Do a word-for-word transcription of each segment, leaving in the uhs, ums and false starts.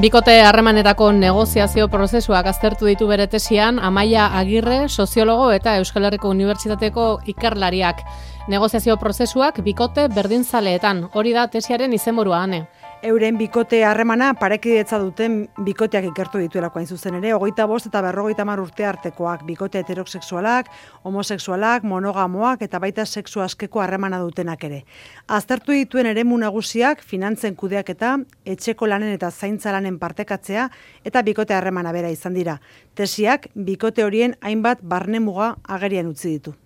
Bikote harremanetako negoziazio prozesuak aztertu ditu bere tesian Amaia Agirre, soziologo eta Euskal Herriko Unibertsitateko ikerlariak. Negoziazio prozesuak bikote berdinzaleetan, hori da tesiaren izenburua, Ane. Euren bikote harremana parekidetza duten bikoteak ikertu dituelako hain zuzen ere, hogeita bost eta berrogeita hamar urte artekoak, bikote heterosexualak, homosexualak, monogamoak eta baita sexu askeko harremana dutenak ere. Aztertu dituen eremu nagusiak finantzen kudeaketa, etxeko lanen eta zaintza lanen partekatzea eta bikote harremana bera izan dira. Tesiak bikote horien hainbat barnemuga agerian utzi ditu.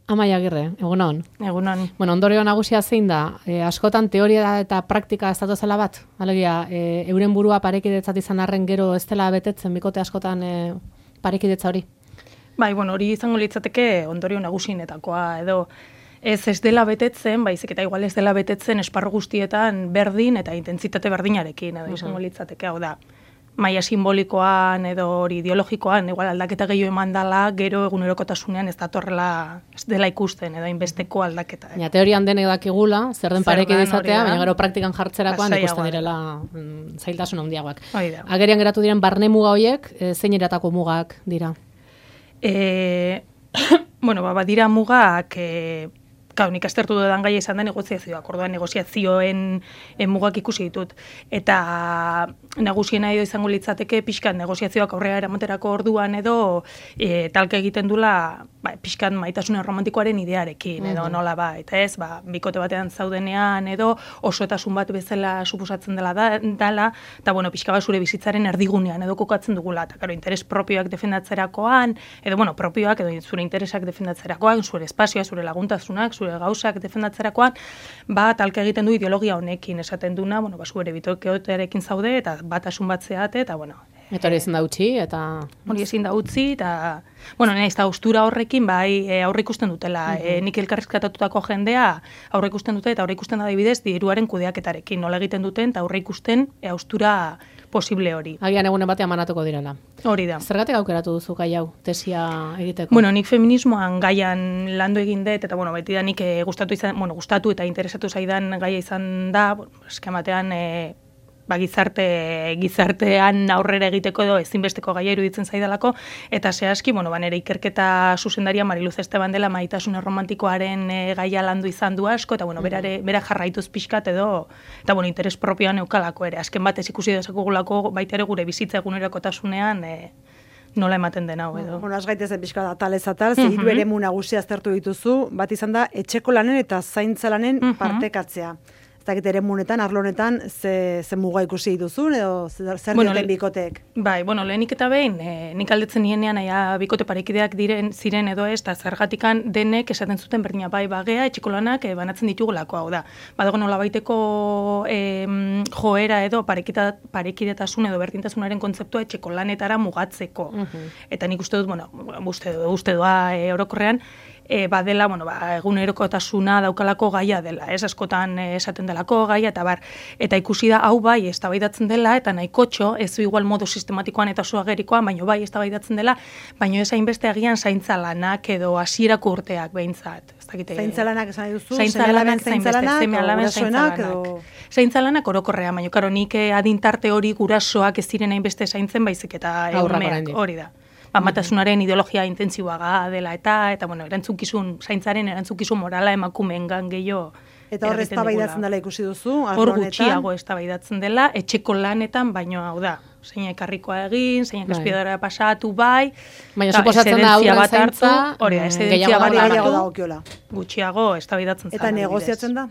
Amaia Agirre, egunon. Egunon. Bueno, ondorio nagusia zein da, e, askotan teoria eta praktika ez datozela bat? Alegia, e, euren burua parekidetzat izan arren gero ez dela betetzen bikote askotan e, parekidetza hori? Bai, bueno, hori izango litzateke ondorio nagusienetakoa edo ez ez dela betetzen, baizik eta igual ez dela betetzen esparru guztietan berdin eta intentsitate berdinarekin edo izango litzateke, hau da. Maila simbolikoan edo hori ideologikoan, igual aldaketa gehiago eman dela, gero egunerokotasunean ez datorrela, ez dela ikusten, edo inbesteko aldaketa. Eh? Ja, teorian denek dakigula, zer den parekidezatea, baina gero praktikan jartzerakoan ikusten direla mm, zailtasun handiagoak. Agerian geratu diren barne muga horiek, e, zein eratako mugak dira? E, bueno, ba, badira mugak... E, Kau, nik aztertu dudan gaia izan da negoziazioak, orduan negoziazioen mugak ikusi ditut. Eta nagusiena edo izango litzateke pixkan negoziazioak aurrera eramaterako orduan edo e, talka egiten dula ba, pixkan maitasun romantikoaren idearekin edo nola ba, eta ez, ba, bikote batean zaudenean edo osotasun bat bezala suposatzen dela da, dala, eta bueno, pixka bat zure bizitzaren erdigunean edo kokatzen dugula, eta karo, interes propioak defendatzerakoan, edo bueno, propioak edo zure interesak defendatzerakoan, zure espazioa, zure laguntasunak, zure gauzak defendatzerakoan, ba, talka egiten du ideologia honekin esaten duna, bueno, ba, zure bitokeotearekin zaude, eta batasun bat zeate, eta, bueno... Eta hori ezin da utzi, eta... Hori ezin da utzi, eta... Bueno, nahiz, eta austura horrekin, bai, e, aurre ikusten dutela. Uh -huh. e, nik elkarrizketatutako jendea aurre ikusten dute, eta aurre ikusten da adibidez, diruaren kudeaketarekin, nola egiten duten, eta aurre ikusten e, austura posible hori. Agian egunen batean manatuko direla. Hori da. Zergatik aukeratu duzu gai hau, tesia egiteko? Bueno, nik feminismoan gaian landu egin dut, eta bueno, beti da nik e, gustatu izan, bueno, gustatu eta interesatu zaidan gaia izan da, bueno, eskematean e, ba, gizarte, gizartean aurrera egiteko edo ezinbesteko gaia iruditzen zaidalako, eta zehazki, bueno, ba, nire ikerketa zuzendaria Mariluz Esteban dela maitasun erromantikoaren e, gaia landu izan du asko, eta bueno, berare, bera jarraituz pixkat edo, eta bueno, interes propioan eukalako ere, azken batez ikusi dezakugulako baita ere gure bizitza egunerokotasunean e, nola ematen den hau edo. Bueno, az gaitezen pixka da atalez atal, ze hiru eremu nagusia aztertu dituzu, bat izan da etxeko lanen eta zaintza lanen uh -huh. partekatzea. Ez dakit ere munetan, arlonetan, ze, ze muga ikusi dituzun, edo zer bueno, dioten bikoteek? Bai, bueno, lehenik eta behin, e, nik aldetzen nienean, aia, bikote parekideak diren ziren edo ez, eta zergatikan denek esaten zuten berdina bai bagea, etxeko lanak e, banatzen ditugulako, hau da. Badago nola baiteko e, joera edo parekidetasun edo berdintasunaren kontzeptua etxeko lanetara mugatzeko. Uh -huh. Eta nik uste dut, bueno, uste, uste doa e, orokorrean, E, badela, bueno, ba, egunerokotasuna daukalako gaia dela, ez askotan esaten delako gaia, eta bar, eta ikusi da, hau bai, eztabaidatzen dela, eta nahikotxo, ez du igual modu sistematikoan eta oso agerikoan, baino bai, eztabaidatzen dela, baino ez hainbeste agian zaintza lanak edo hasierako urteak behintzat. Zaintza lanak esan duzu, zaintza lanak, zaintza lanak, edo... Zaintza lanak orokorrea, baino, karo, nik adintarte hori gurasoak ez ziren hainbeste zaintzen, baizik eta egumeak, hori da. Amatasunaren ideologia intentsiboaga dela eta, eta bueno, erantzukizun, zaintzaren erantzukizun morala emakumeengan gehiago. Eta hor eztabaidatzen dela ikusi duzu, hor gutxiago eztabaidatzen dela, etxeko lanetan, baino hau da. Zeina ekarrikoa egin, zeina espiadora pasatu bai. Baina suposatzen da aurra zaintza, hori da, esedentzia bat hartu, gutxiago eztabaidatzen eta negoziatzen da?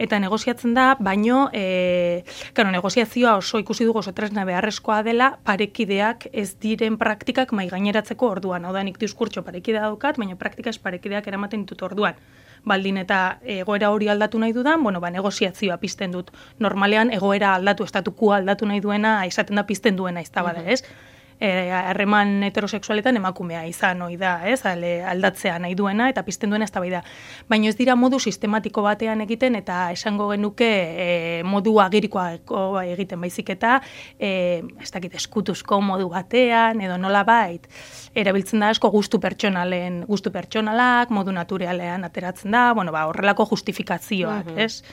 Eta negoziatzen da, baino, e, claro, negoziazioa oso ikusi dugu oso tresna beharrezkoa dela, parekideak ez diren praktikak mai gaineratzeko orduan. Hau da, nik diskurtso parekidea daukat, baina praktikaz parekideak eramaten ditut orduan. Baldin eta egoera hori aldatu nahi dudan, bueno, ba, negoziazioa pizten dut. Normalean, egoera aldatu, estatukua aldatu nahi duena, izaten da pizten duena, ez da bada, ez? harreman heterosexualetan emakumea izan ohi da, ez? Aldatzea nahi duena eta pizten duena eztabaida. Baina ez dira modu sistematiko batean egiten eta esango genuke e, modu agirikoa egiten baizik eta e, ez dakit eskutuzko modu batean edo nolabait erabiltzen da asko gustu pertsonalen, gustu pertsonalak, modu naturalean ateratzen da, bueno, ba, horrelako justifikazioak, uh-huh. ez?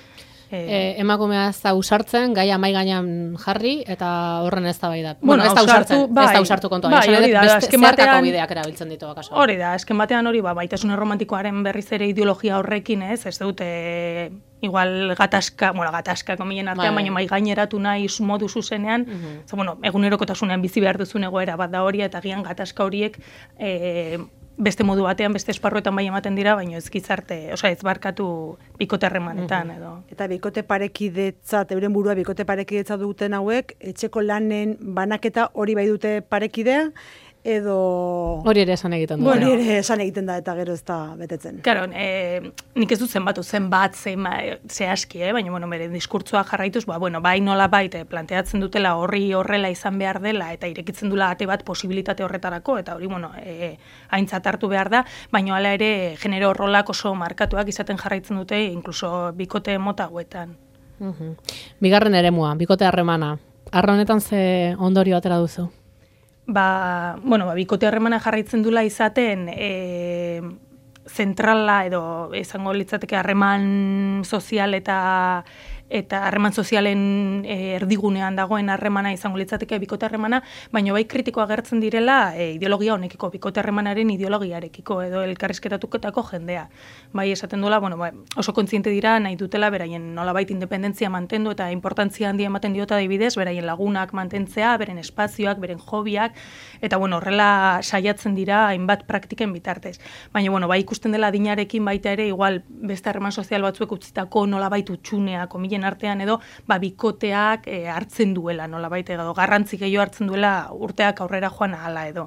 E, emakumea ez da usartzen, gaia mai gainean jarri, eta horren ez da bai da. Bueno, bueno, ez da usartzen, bai, ez da usartu kontua. Bai, hori da, azken batean bideak erabiltzen ditu akaso. Hori da, azken batean hori, ba, baitasun romantikoaren berriz ere ideologia horrekin, ez, ez dut, e, igual gatazka, bueno, gatazka komillen artean, baina mai gaineratu nahi modu zuzenean, uh -huh. Za, bueno, egunerokotasunean bizi behar duzun egoera bat da hori, eta gian gatazka horiek, e, beste modu batean, beste esparruetan bai ematen dira, baina ez gizarte, osea, ez barkatu bikote harremanetan, edo. Eta bikote parekidetzat, euren burua bikote parekidetza duten hauek, etxeko lanen banaketa hori bai dute parekidea, edo... Hori ere esan egiten da. Hori bueno, ere esan egiten da, eta gero ez da betetzen. Claro, e, nik ez dut zenbatu, zenbat, zehazki, eh? Baina, bueno, bere diskurtsoa jarraituz, ba, bueno, bai nola baita planteatzen dutela horri horrela izan behar dela, eta irekitzen dula ate bat posibilitate horretarako, eta hori, bueno, e, aintzat hartu behar da, baina hala ere, genero rolak oso markatuak izaten jarraitzen dute, inkluso bikote mota hauetan. Uh-huh. Bigarren eremua, bikote harremana. Arra honetan ze ondorio atera duzu? Ba, bueno, ba, bikote harremana jarraitzen dula izaten e, zentrala edo izango litzateke harreman sozial eta eta harreman sozialen e, erdigunean dagoen harremana izango litzateke bikote harremana, baina bai kritiko agertzen direla e, ideologia honekiko, bikote harremanaren ideologiarekiko edo elkarrizketatuketako jendea. Bai esaten duela, bueno, bai, oso kontziente dira nahi dutela beraien nolabait independentzia mantendu eta inportantzia handia ematen diota adibidez, beraien lagunak mantentzea, beren espazioak, beren hobiak, eta bueno, horrela saiatzen dira hainbat praktiken bitartez. Baina bueno, bai ikusten dela adinarekin baita ere igual beste harreman sozial batzuek utzitako nolabait utxunea, komilen artean edo ba, bikoteak e, hartzen duela nolabait edo garrantzi gehiago hartzen duela urteak aurrera joan ahala edo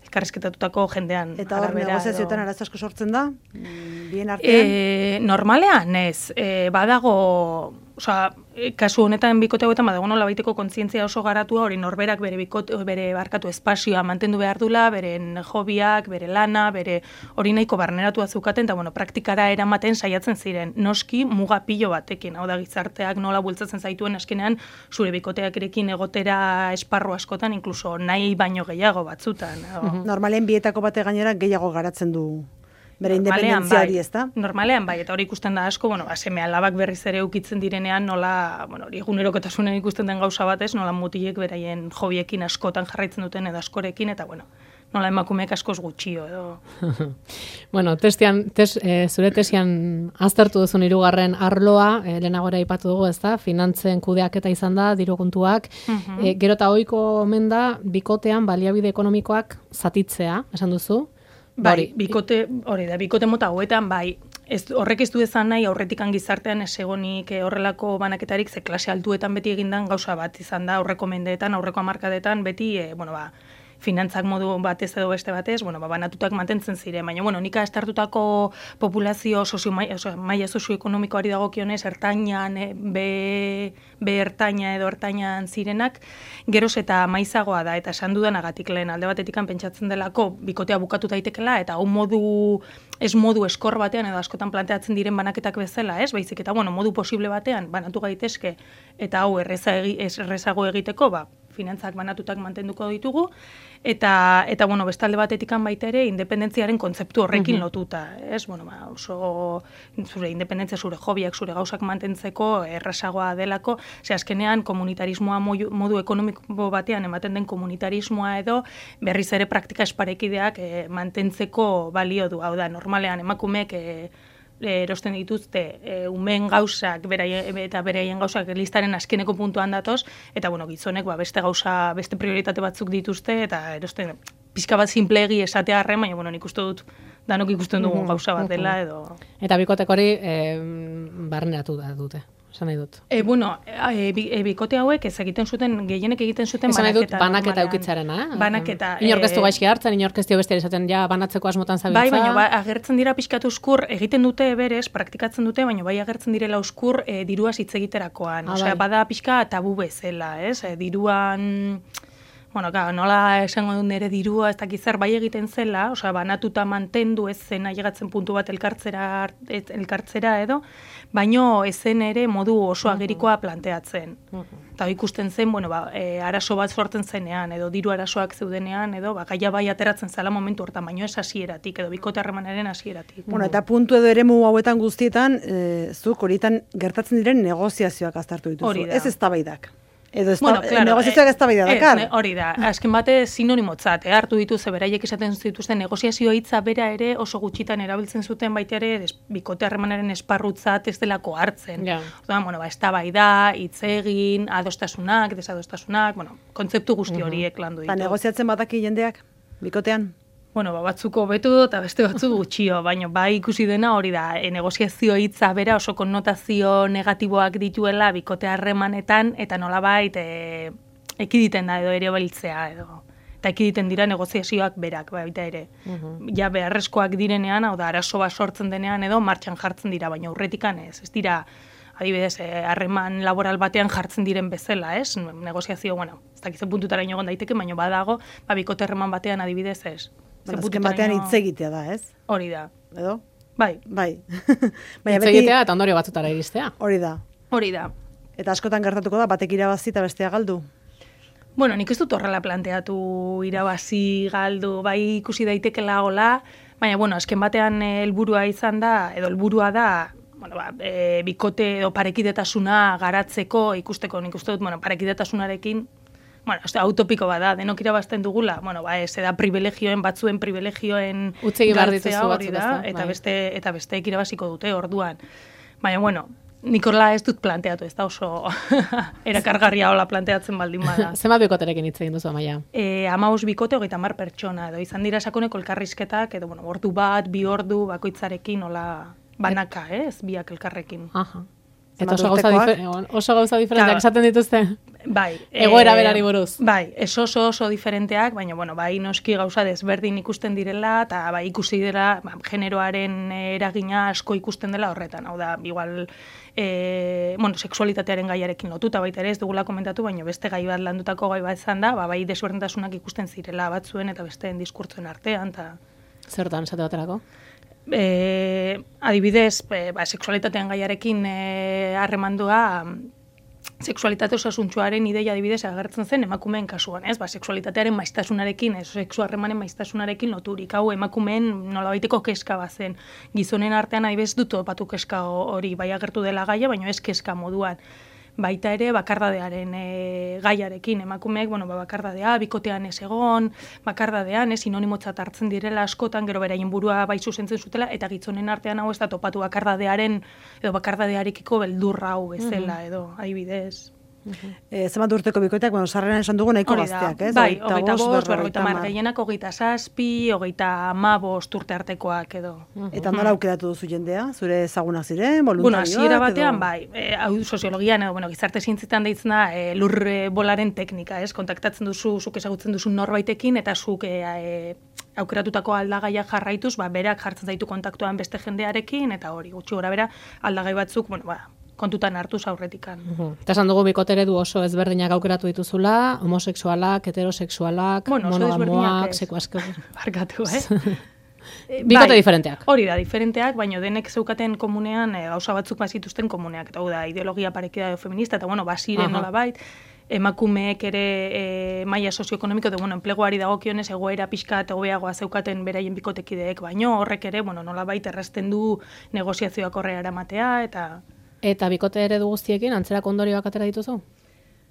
elkarrizketatutako jendean eta hor negoziazioetan arazo asko sortzen da bien artean e, normalean ez e, badago osea kasu honetan bikote hauetan badago nolabaiteko kontzientzia oso garatua hori norberak bere bikote bere barkatu espazioa mantendu behar dula, beren hobiak, bere lana, bere hori nahiko barneratua zeukaten eta bueno, praktikara eramaten saiatzen ziren. Noski muga pilo batekin, hau da gizarteak nola bultzatzen zaituen askenean zure bikoteakerekin egotera esparru askotan, inkluso nahi baino gehiago batzutan. Mm-hmm. Normalen bietako bate gainera gehiago garatzen du bere independentzia hori, ez da? Normalean, bai, eta hori ikusten da asko, bueno, seme alabak berriz ere ukitzen direnean, nola, bueno, hori egunerokotasunen ikusten den gauza batez, nola mutilek beraien jobiekin askotan jarraitzen duten edo askorekin, eta bueno, nola emakumeek askoz gutxio edo. Bueno, testian, tes, e, zure tesian aztertu duzun hirugarren arloa, e, lehenagora aipatu dugu, ez da, finantzen kudeaketa izan da, diru kontuak, uh-huh. e, gero eta ohiko omen da, bikotean baliabide ekonomikoak zatitzea, esan duzu? Bai, bikote, hori da, bikote mota hauetan, bai, ez, horrek ez du ezan nahi, aurretikan gizartean ez egonik horrelako banaketarik, ze klase altuetan beti egindan gauza bat izan da, aurreko mendeetan, aurreko hamarkadetan, beti, e, bueno, ba, finantzak modu batez edo beste batez, bueno, ba, banatutak mantentzen ziren, baina, bueno, nik astartutako populazio sozio, maia, maia sozioekonomikoari dagokionez, ertainan, e, be, be ertaina edo ertainan zirenak, geroz eta maizagoa da, eta esan dudanagatik lehen alde batetikan pentsatzen delako bikotea bukatu daitekela, eta hau modu, ez modu eskor batean, edo askotan planteatzen diren banaketak bezala, ez, baizik, eta, bueno, modu posible batean, banatu gaitezke, eta hau erreza egi, errezago egiteko, ba, finantzak banatutak mantenduko ditugu, eta, eta bueno, bestalde batetikan baita ere, independentziaren kontzeptu horrekin uh-huh. lotuta, ez? Bueno, ba, oso zure independentzia, zure hobiak, zure gauzak mantentzeko errazagoa delako, ze azkenean komunitarismoa modu, modu ekonomiko batean ematen den komunitarismoa edo berriz ere praktika esparekideak e, mantentzeko balio du, hau da, normalean emakumeek e, erosten dituzte e, umen gauzak beraien, eta beraien gauzak listaren azkeneko puntuan datoz, eta bueno, gizonek ba, beste gauza, beste prioritate batzuk dituzte, eta erosten pixka bat simplegi esatea harren, baina bueno, nik uste dut danok ikusten dugu gauza bat dela edo... Eta bikotek hori e, barneratu da dute. Esan nahi dut. E, bueno, e, e, bikote hauek ez egiten zuten, gehienek egiten zuten esan banaketa. Esan nahi dut banaketa eukitzarena. Eh? Banaketa. Inorkeztu e, gaizki hartzen, inorkeztu beste esaten ja banatzeko asmotan zabiltza. Bai, baina ba, agertzen dira pixkatu uskur, egiten dute berez, praktikatzen dute, baina bai agertzen direla uskur e, diruaz hitz egiterakoan. Ah, Osea, bai. Bada pixka tabu bezala, ez? E, diruan... Bueno, ka, nola esango dut nire dirua, ez dakit zer bai egiten zela, osea, banatuta mantendu ez zen ailegatzen puntu bat elkartzera, elkartzera edo, baino ez zen ere modu oso agerikoa planteatzen. Eta ikusten zen, bueno, ba, e, arazo bat sortzen zenean, edo diru arazoak zeudenean, edo ba, gaia bai ateratzen zela momentu hortan, baino ez hasieratik, edo bikote harremanaren hasieratik. Bueno, eta puntu edo eremu hauetan guztietan, e, zuk horietan gertatzen diren negoziazioak aztertu dituzu. Hori da. Ez eztabaidak. Edo ez bueno, claro, negoziazioak eztabaida dakar. Ez, hori da. Azken bate sinonimotzat, eh, hartu dituze beraiek esaten zituzten negoziazio hitza bera ere oso gutxitan erabiltzen zuten baita ere es, bikote harremanaren esparrutzat ez delako hartzen. Ja. Orduan, bueno, ba eztabaida, hitz egin, adostasunak, desadostasunak, bueno, kontzeptu guzti horiek landu ditu. Eta negoziatzen badaki jendeak bikotean? Bueno, ba, batzuko betu eta beste batzu gutxio, baina bai ikusi dena hori da, e, negoziazio hitza bera oso konnotazio negatiboak dituela bikote harremanetan, eta nolabait e, ekiditen da edo ere beltzea edo. Eta ekiditen dira negoziazioak berak, baita ere. Uh-huh. Ja beharrezkoak direnean, hau da, arazo bat sortzen denean edo martxan jartzen dira, baina aurretikan ez. Ez dira, adibidez, harreman laboral batean jartzen diren bezala, ez? Negoziazio, bueno, ez dakitzen puntutara egon daiteke, baina badago, ba, bikote harreman batean adibidez ez. Azken batean hitz egitea da, ez? Hori da. Edo? Bai. Bai. Hitz egitea eta ondorio batzutara iristea. Hori da. Hori da. Eta askotan gertatuko da, batek irabazi eta bestea galdu? Bueno, nik ez dut horrela planteatu irabazi galdu, bai ikusi daitekela hola, baina, bueno, azken batean helburua izan da, edo helburua da, bueno, ba, e, bikote edo parekidetasuna garatzeko ikusteko, nik uste dut, bueno, parekidetasunarekin, bueno, ez da, utopiko bada, denok irabazten dugula, bueno, ba, ez da privilegioen, batzuen privilegioen utzegi behar dituzu hori batzuk, da, eta beste eta besteek irabaziko dute orduan. Baina, bueno, nik horrela ez dut planteatu, ez da oso erakargarria hola planteatzen baldin bada. Zenbat bikoterekin hitz egin duzu, Amaia? E, hamabost bikote, hogeita hamar pertsona, edo izan dira sakoneko elkarrizketak, edo, bueno, ordu bat, bi ordu, bakoitzarekin, hola, banaka, eh, ez biak elkarrekin. Aha. Eta oso gauza, difer oso gauza diferenteak esaten dituzte? Bai. Egoera berari buruz? Bai, ez oso oso diferenteak, baina, bueno, bai noski gauza desberdin ikusten direla, eta bai ikusi dira, ba, generoaren eragina asko ikusten dela horretan. Hau da, igual, e, bueno, sexualitatearen gaiarekin lotuta baita ere, ez dugula komentatu, baina beste gai bat landutako gai bat izan da, ba, bai desberdintasunak ikusten zirela batzuen eta besteen diskurtzuen artean, eta... Zertan, esate baterako? E, adibidez, e, ba, sexualitatean gaiarekin harremandua, e, sexualitate osasuntsuaren ideia adibidez agertzen zen emakumeen kasuan, ez? Ba, sexualitatearen maiztasunarekin, ez, sexu harremanen maiztasunarekin loturik. Hau emakumeen nolabaiteko keska bazen. Gizonen artean adibidez dut topatu keska hori bai agertu dela gaia, baina ez keska moduan. Baita ere bakardadearen e, gaiarekin emakumeek, bueno, ba, bakardadea, bikotean ez egon, bakardadean, ez sinonimotzat hartzen direla askotan, gero beraien burua bai zuzentzen zutela, eta gizonen artean hau ez da topatu bakardadearen, edo bakardadearekiko beldurra hau bezala, edo adibidez. Uh-huh. E, zenbat urteko bikoteak, bueno, sarreran esan dugu nahiko gazteak, ez? Bai, hogeita bost, berrogeita hamar, gehienak hogeita zazpi, hogeita hamabost urte artekoak edo. Uh-huh. Eta nola aukeratu duzu jendea? Zure ezagunak ziren, voluntarioak? Bueno, hasiera batean, edo... bai, e, hau soziologian, edo, bueno, gizarte zientzitan deitzen da, e, lur bolaren teknika, ez? Kontaktatzen duzu, zuk ezagutzen duzu norbaitekin, eta zuk e, e, aukeratutako aldagaiak jarraituz, ba, berak jartzen zaitu kontaktuan beste jendearekin, eta hori, gutxi gora bera, aldagai batzuk, bueno, ba, kontutan hartuz aurretikan. Uhum. Eta esan dugu bikote eredu oso ezberdinak aukeratu dituzula, homosexualak, heterosexualak, bueno, monogamoak, sekuasko. Barkatu, eh? Bikote bai, diferenteak. Hori da, diferenteak, baina denek zeukaten komunean e, gauza batzuk bazituzten komuneak. Eta da, ideologia parekida feminista, eta bueno, basiren nola bait, emakumeek ere e, maila sozioekonomiko, eta bueno, enpleguari dagokionez egoera pixka eta hobeagoa zeukaten beraien bikotekideek, baino horrek ere, bueno, nola bait errazten du negoziazioak horre eramatea, eta... Eta bikote eredu guztiekin antzerako ondorioak atera dituzu?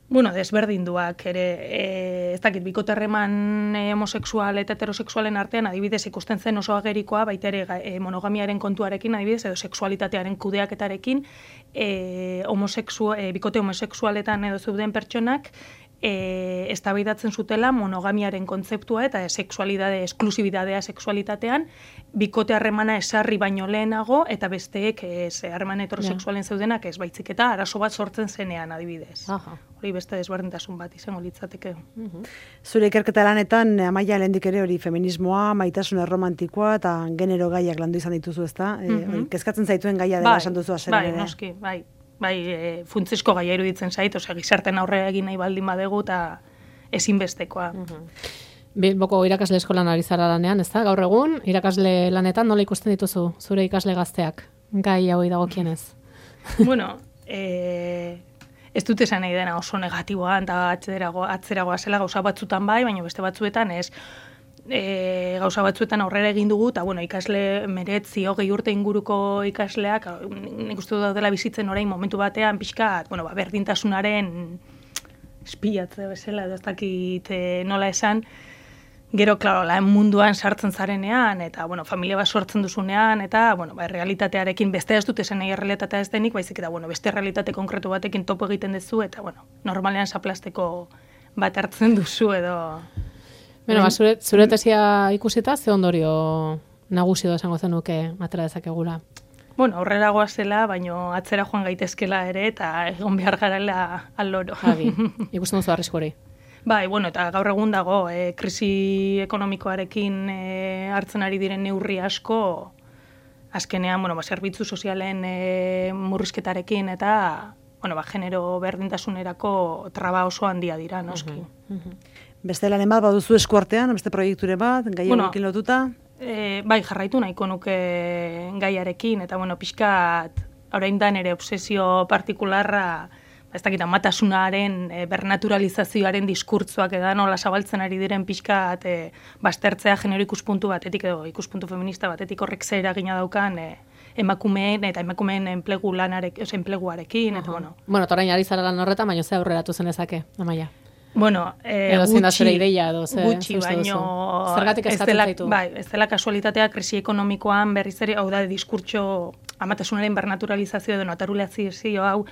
Bueno, desberdinduak ere, e, ez dakit, bikote harreman e, homosexual eta heterosexualen artean adibidez ikusten zen oso agerikoa, baita ere e, monogamiaren kontuarekin adibidez, edo sexualitatearen kudeaketarekin, e, homosexu, e, bikote homosexualetan edo zeuden pertsonak, E, eztabaidatzen zutela monogamiaren kontzeptua eta sexualidade, esklusibidadea sexualitatean, bikote harremana esarri baino lehenago, eta besteek ez harreman heterosexualen zeudenak ez baitzik eta arazo bat sortzen zenean adibidez. Aha. Hori beste desberdintasun bat izango litzateke. Uh-huh. Zure ikerketa lanetan, Amaia, lehendik ere hori feminismoa, maitasun erromantikoa eta genero gaiak landu izan dituzu, ezta? Uh-huh. E, kezkatzen zaituen gaia dela bai, esan duzu azeren bai, ere. Noski, bai. Bai, e, funtsezko gaia iruditzen zait, osea, gizarten aurrera egin nahi baldin badegu, eta ezinbestekoa. Bilboko irakasle eskolan ari zara lanean, ez da? Gaur egun, irakasle lanetan nola ikusten dituzu zure ikasle gazteak, gai hau dagokienez? Bueno, e, ez dut esan nahi dena oso negatiboa, eta atzeragoa, atzeragoa zela gauza batzutan bai, baina beste batzuetan ez. E, gauza batzuetan aurrera egin dugu, eta bueno, ikasle meretzi hogei urte inguruko ikasleak, nik uste dut dela bizitzen orain momentu batean pixka, bueno, ba, berdintasunaren espilatze bezala, edo ez dakit nola esan, gero, klaro, lan munduan sartzen zarenean, eta, bueno, familia bat sortzen duzunean, eta, bueno, ba, realitatearekin beste ez dut esan nahi realitatea ez denik, baizik eta, bueno, beste realitate konkretu batekin topo egiten duzu, eta, bueno, normalean zaplasteko bat hartzen duzu, edo... Bueno, ba, zure, zure tesia ikusita, ze ondorio nagusi edo esango zenuke atera dezakegula? Bueno, aurrera goazela, baino atzera joan gaitezkela ere, eta egon behar garela aloro. Javi, ikusten duzu arrisku hori. Bai, bueno, eta gaur egun dago, e, krisi ekonomikoarekin e, hartzen ari diren neurri asko, azkenean, bueno, ba, zerbitzu sozialen e, murrizketarekin, eta, bueno, ba, genero berdintasunerako traba oso handia dira, noski. Uh-huh, uh-huh. Beste lanen bat, baduzu eskuartean, beste proiekture bat, gai bueno, hauekin lotuta? E, bai, jarraitu nahiko nuke gaiarekin, eta, bueno, pixkat, orain da nere obsesio partikularra, ez dakit, amatasunaren, e, bernaturalizazioaren diskurtzoak edan, nola zabaltzen ari diren pixkat, e, baztertzea genero ikuspuntu batetik, edo ikuspuntu feminista batetik horrek zer eragina daukan, e, emakumeen eta emakumeen enplegu lanarek, oza, enpleguarekin, eta, bueno. Bueno, eta orain ari zara lan horretan, baina ze aurreratu zenezake, Amaia? Bueno, eh, edo zein da zure ideia, edo ze, gutxi, baino... Zergatik eskatzen zaitu? Bai, ez dela kasualitatea krisi ekonomikoan berriz ere, hau da, diskurtso amatasunaren bernaturalizazio edo naturalizazio hau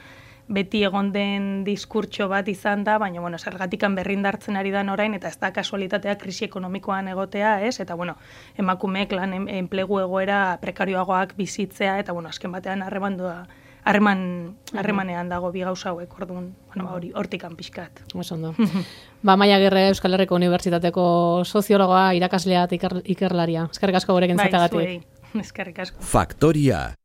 beti egon den diskurtso bat izan da, baina, bueno, zergatikan berrindartzen ari da orain, eta ez da kasualitatea krisi ekonomikoan egotea, ez? Eta, bueno, emakumeek lan enplegu egoera prekarioagoak bizitzea, eta, bueno, azken batean harremandua, harreman harremanean dago bi gauza hauek, orduan, bueno, ba, hori hortikan pixkat. Oso ondo. Ba, Amaia Agirre, Euskal Herriko Unibertsitateko soziologoa, irakaslea eta iker, ikerlaria. Eskerrik asko gurekin zatagatik. Bai, zuei. Eskerrik asko. Faktoria.